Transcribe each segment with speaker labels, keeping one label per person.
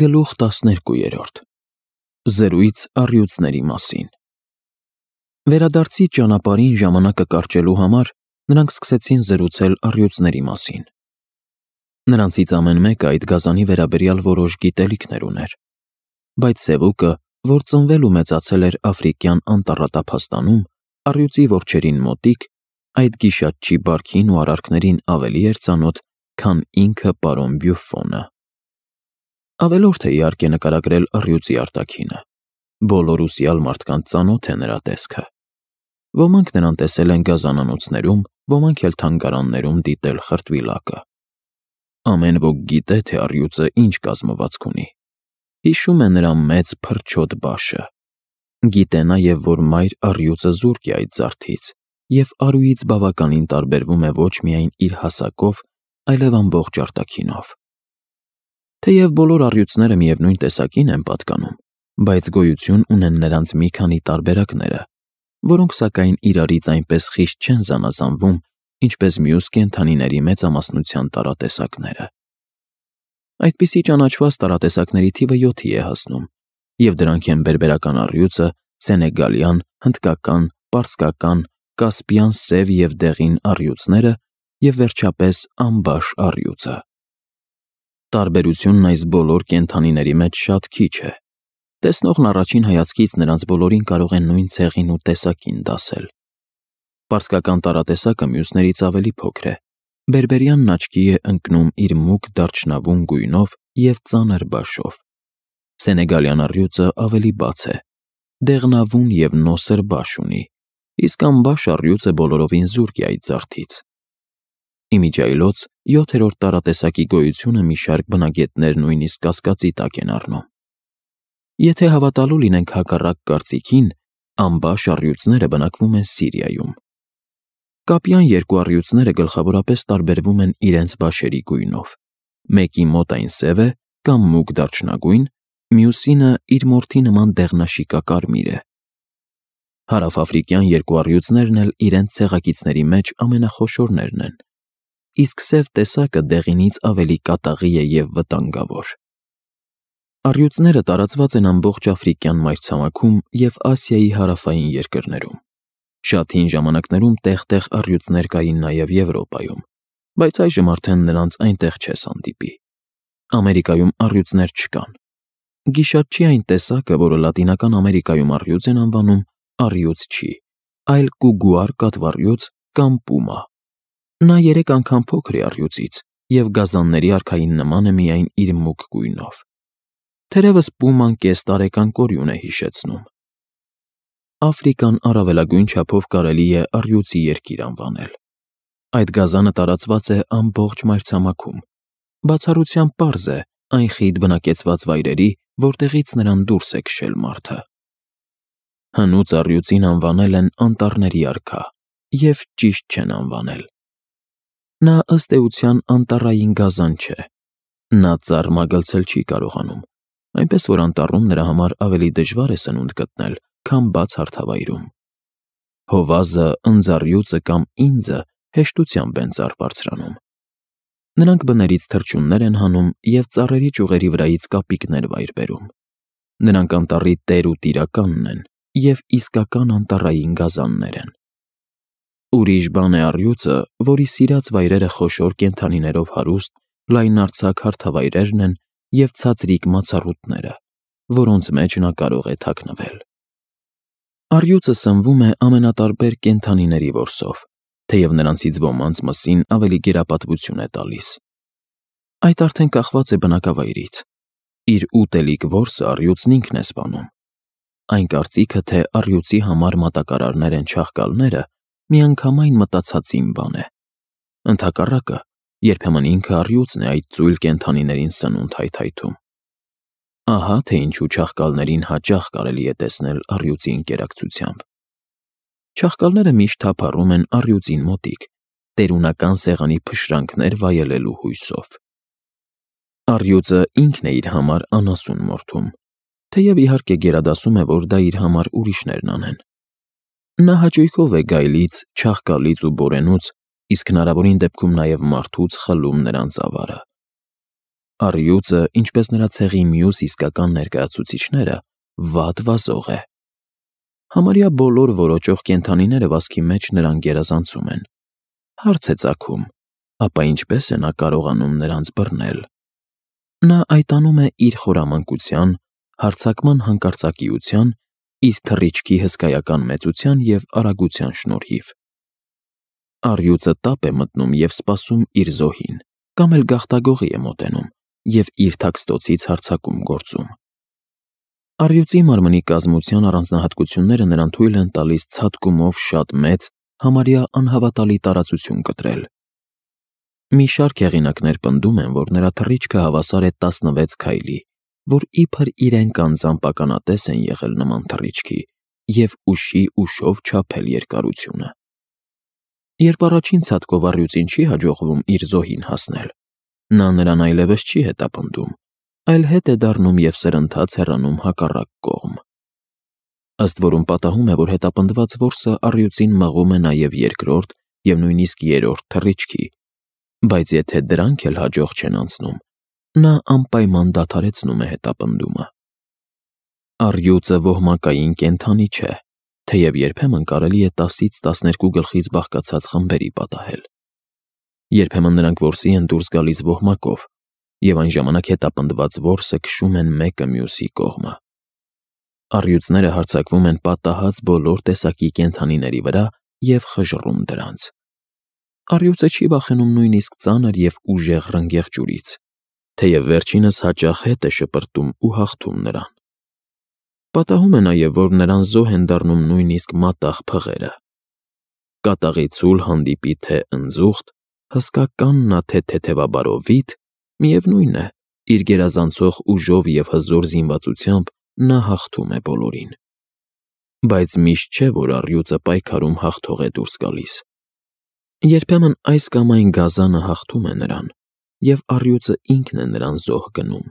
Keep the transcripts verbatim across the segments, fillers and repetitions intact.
Speaker 1: Գլուխ տասներկու։ Զրույց առյուծների մասին։ Վերադարձի ճանապարհին ժամանակը կարճելու համար նրանք սկսեցին զրուցել առյուծների մասին։ Նրանցից ամեն մեկը այդ գազանի վերաբերյալ որոշ գիտելիքներ ուներ, բայց Սևուկը, որ ծնվել ու մեծացել էր Աֆրիկյան անտառատափաստանում, առյուծի որջերին մոտիկ, այդ գիշատչի բարքին ու արարքներին ավելի էր ծանոթ, քան ինքը պարոն Բյուֆոնը։ Ավելորդ է իհարկե նկարագրել առյուծի արտաքինը։ Բոլոր ուսյալ մարդկանց ծանոթ է նրա տեսքը։ Ոմանք նրան տեսել են գազանանոցներում, ոմանք էլ թանգարաններում դիտել խրտվիլակը։ Ամեն ոք գիտե, թե առյուծը ինչ կազմվածք ունի։ Հիշում է նրա մեծ փրչոտ բաշը։ Գիտե նաև, որ մայր առյուծը զուրկ է այդ զարդից, և արուից բավականին տարբերվում է ոչ միայն իր հասակով, այլև ամբողջ արտաքինով։ Թեև բոլոր առյուծները միևնույն տեսակին են պատկանում, բայց գոյություն ունեն նրանց մի քանի տարբերակները, որոնք սակայն իրարից այնպես խիստ չեն զանազանվում, ինչպես մյուս կենդանիների մեծամասնության տարատեսակները։ Այդպիսի ճանաչված տարատեսակների թիվը յոթի է հասնում, և դրանք են բերբերական առյուծը, սենեգալյան, հնդկական, պարսկական, կասպյան սև և դեղին առյուծները և վերջապես ամբաշ առյուծը։ Տարբերությունն այս բոլոր կենդանիների մեջ շատ քիչ է։ Տեսնողն առաջին հայացքից նրանց բոլորին կարող է նույն ցեղին ու տեսակին դասել։ Պարսկական տարատեսակը մյուսներից ավելի փոքր է։ Բերբերյանն աչքի է ընկնում իր մուգ դարչնավուն գույնով և ծանր բաշով։ Սենեգալյան առյուծը ավելի բաց է, դեղնավուն և նոսր բաշ ունի, իսկ ամբաշ առյուծը բոլորովին զուրկ է այդ զարդից։ Իմիջիայլոց յոթերորդ տարատեսակի գոյությունը մի շարք բնագետներ նույնիսկ կասկածի տակ են առնում։ Եթե հավատալու լինենք հակառակ կարծիքին, ամբաշ առյուծները բնակվում են Սիրիայում։ Կապյան երկու առյուծները գլխավորապես տարբերվում են իրենց բաշերի գույնով։ Մեկի մոտ այն սև է կամ մուգ դարչնագույն, մյուսինը իր մորթի նման դեղնաշիկակարմիր է։ Հարավաֆրիկյան երկու առյուծներն էլ իրենց ցեղակիցների մեջ ամենախոշորներն են, իսկ սև տեսակը դեղինից ավելի կատաղի է և վտանգավոր։ Առյուծները տարածված են ամբողջ Աֆրիկյան մայրցամաքում և Ասիայի հարավային երկրներում։ Շատ հին ժամանակներում տեղ-տեղ առյուծներ կային նաև Եվրոպայում, բայց այժմ արդեն նրանց այնտեղ չես հանդիպի։ Ամերիկայում առյուծներ չկան։ Գիշատչի այն տեսակը, որը Լատինական Ամերիկայում առյուծ են անվանում, առյուծ չի, այլ կուգուար կատվառյուծ կամ պումա։ Նա երեք անգամ փոքր է առյուծից և գազանների արքային նման է միայն իր մուգ գույնով։ Թերևս պուման կես տարեկան կորյուն է հիշեցնում։ Աֆրիկան առավելագույն չափով կարելի է առյուծի երկիր անվանել։ Այդ գազանը տարածված է ամբողջ մայրցամաքում։ Բացառությամբ պարզ է այն խիտ բնակեցված վայրերի, որտեղից նրան դուրս է քշել մարդը։ Հնուց առյուծին անվանել են անտառների արքա, և ճիշտ չեն անվանել։ Նա ըստ էության անտառային գազան չէ։ Նա ծառ մագլցել չի կարողանում, այնպես որ անտառում նրա համար ավելի դժվար է սնունդ գտնել, քան բաց հարթավայրում։ Հովազը, ընձառյուծը կամ ինձը հեշտությամբ են ծառ բարձրանում։ Նրանք բներից թռչուններ են հանում և ծառերի ճյուղերի վրայից կապիկներ վայր բերում։ Նրանք անտառի տեր ու տիրականն են և իսկական անտառային գազաններ են։ Ուրիշ բան է առյուծը, որի սիրած վայրերը խոշոր կենդանիներով հարուստ, լայնարձակ հարթավայրերն են և ցածրիկ մացառուտները, որոնց մեջ նա կարող է թաքնվել։ Առյուծը սնվում է ամենատարբեր կենդանիների որսով, թեև նրանցից ոմանց մսին ավելի գերապատվություն է տալիս։ Այդ արդեն կախված է բնակավայրից։ Իր ուտելիք որսը առյուծն ինքն է սպանում։ Այն կարծիքը, թե առյուծի համար մատակարարներ են չաղկալները, միանգամայն մտածածին բան է։ Ընդհակառակը, երբեմն ինքը առյուծն է այդ ծույլ կենդանիներին սնունդ հայթայթում։ Ահա թե ինչու չաղկալներին հաճախ կարելի է տեսնել առյուծի ընկերակցությամբ։ Չաղկալները միշտ թափառում են առյուծին մոտիկ, տերունական սեղանի փշրանքներ վայելելու հույսով։ Առյուծը ինքն է իր համար անասուն մորթում, թեև իհարկե գերադասում է, որ դա իր համար ուրիշներն անեն։ Նա հաճույքով է գայլից, չաղկալից ու բորենուց, իսկ հնարավորին դեպքում նաև մարդուց խլում նրանց ավարը։ Առյուծը, ինչպես նրա ցեղի մյուս իսկական ներկայացուցիչները, վատ վազող է։ Համարյա բոլոր որոճող կենդանիները վազքի մեջ նրան գերազանցում են։ Հարց է ծագում, ապա ինչպես է նա կարողանում նրանց բռնել։ Նա այդ անում է իր խորամանկության, հարձակման հանկարծակիության, իր թռիչքի հսկայական մեծության և արագության շնորհիվ։ Առյուծը տապ է մտնում և սպասում իր զոհին, կամ էլ գաղտագողի է մոտենում և իր թաքստոցից հարձակում գործում։ Առյուծի մարմնի կազմության առանձնահատկությունները նրան թույլ են տալիս ցատկումով շատ մեծ, համարյա անհավատալի տարածություն կտրել։ Մի շարք հեղինակներ պնդում են, որ նրա թռիչքը հավասար է տասնվեց քայլի, որ իբր իրենք անձամբ ականատես են եղել նման թռիչքի և ուշի ուշով չափել երկարությունը։ Երբ առաջին ցատկով առյուծին չի հաջողվում իր զոհին հասնել, նա նրան այլևս չի հետապնդում, այլ հետ է դառնում և սրընթաց հեռանում հակառակ կողմ։ Ըստ որում պատահում է, որ հետապնդված որսը առյուծին մղում է նաև երկրորդ և նույնիսկ երրորդ թռիչքի, բայց եթե դրանք էլ հաջող չեն անցնում, նա անպայման դադարեցնում է հետապնդումը։ Առյուծը ոհմակային կենդանի չէ, թեև երբեմն կարելի է տասից տասներկու գլխից բաղկացած խմբերի պատահել։ Երբեմն նրանք որսի են դուրս գալիս ոհմակով, և այն ժամանակ հետապնդված որսը քշում են մեկը մյուսի կողմը։ Առյուծները հարձակվում են պատահած բոլոր տեսակի կենդանիների վրա և խժռում դրանց։ Առյուծը չի վախենում նույնիսկ ծանր և ուժեղ ռնգեղ ջուրից, թեև վերջինս հաճախ հետ է շպրտում ու հաղթում նրան։ Պատահում է նաև, որ նրան զոհ են դառնում նույնիսկ մատաղ փղերը։ Կատաղի ցուլ հանդիպի թե ընձուղտ, հսկա նա թե թեթևաբարո վիթ, միևնույն է, իր գերազանցող ուժով և հզոր զինվածությամբ նա հաղթում է բոլորին։ Բայց միշտ չէ, որ առյուծը պայքարում հաղթող է դուրս գալիս։ Երբեմն այս կամ այն գազանը հաղթում է նրան, և առյուծը ինքն է նրան զոհ գնում։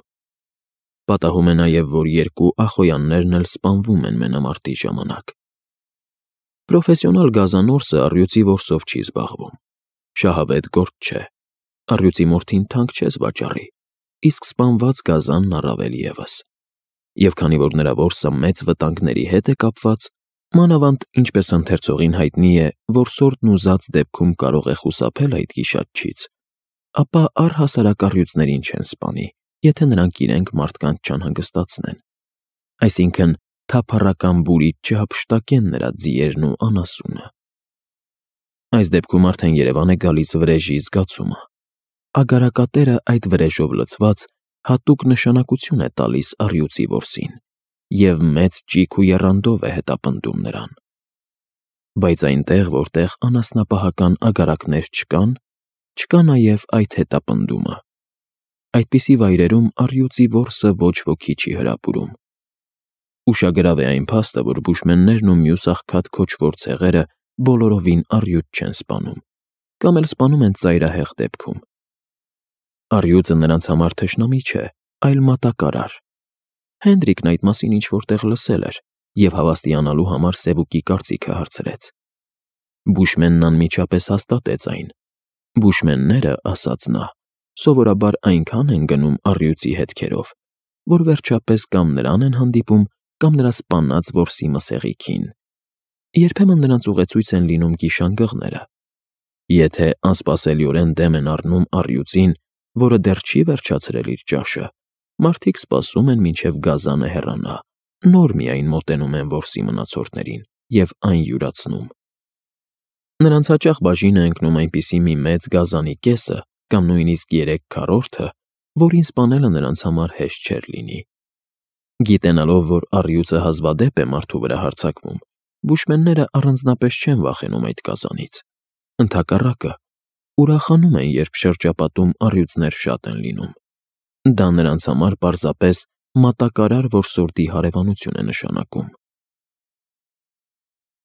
Speaker 1: Պատահում է նաև, որ երկու ախոյաններն էլ սպանվում են մենամարտի ժամանակ։ Պրոֆեսիոնալ գազանորսը առյուծի որսով չի զբաղվում։ Շահավետ գործ չէ։ Առյուծի մորթին թանկ չես վաճառի, իսկ սպանված գազանն առավել ևս։ Եվ քանի որ նրա որսը մեծ վտանգների հետ է կապված, մանավանդ ինչպես ընթերցողին հայտնի է, որսորդն ուզած դեպքում կարող է խուսափել այդ գիշատչից, ապա առհասարակ առյուծներին չեն սպանի, եթե նրանք իրենք մարդկանց չանհանգստացնեն, այսինքն թափառական բուրիդ չհափշտակեն նրա ձիերն ու անասունը։ Այս դեպքում արդեն երևան է գալիս վրեժի զգացումը։ Ագարակատերը այդ վրեժով լցված հատուկ նշանակություն է տալիս առյուծի որսին և մեծ ճիգ ու եռանդով է հետապնդում նրան։ Բայց այնտեղ, որտեղ անասնապահական ագարակներ չկան, չկա նաև այդ հետապնդումը։ Այդպիսի վայրերում առյուծի որսը ոչ ոքի չի հրապուրում։ Ուշագրավ է այն փաստը, որ բուշմեններն ու մյուս աղքատ քոչվոր ցեղերը բոլորովին առյուծ չեն սպանում, կամ էլ սպանում են ծայրահեղ դեպքում։ Առյուծը նրանց համար թշնամի չէ, այլ մատակարար։ Հենրիկն այդ մասին ինչ-որ տեղ լսել էր և հավաստիանալու համար Սևուկի կարծիքը հարցրեց։ Բուշմենն անմիջապես հաստատեց այն։ Բուշմենները, ասաց նա, սովորաբար այնքան են գնում առյուծի հետքերով, որ վերջապես կամ նրան են հանդիպում, կամ նրա սպանած որսի մսեղիքին։ Երբեմն նրանց ուղեցույց են լինում գիշանգղները։ Եթե անսպասելիորեն դեմ են առնում առյուծին, որը դեռ չի վերջացրել իր ճաշը, մարդիկ սպասում են, մինչև գազանը հեռանա, նոր միայն մոտենում են որսի մնացորդներին և այն յուրացնում։ Նրանց հաճախ բաժին է ընկնում այնպիսի մի մեծ գազանի կեսը կամ նույնիսկ երեք քառորդը, որին սպանելը նրանց համար հեշտ չէր լինի։ Գիտենալով, որ առյուծը հազվադեպ է մարդու վրա հարձակվում, բուշմենները առանձնապես չեն վախենում այդ գազանից։ Ընդհակառակը, ուրախանում են, երբ շրջապատում առյուծներ շատ են լինում։ Դա նրանց համար պարզապես մատակարար որսորդի հարևանություն է նշանակում։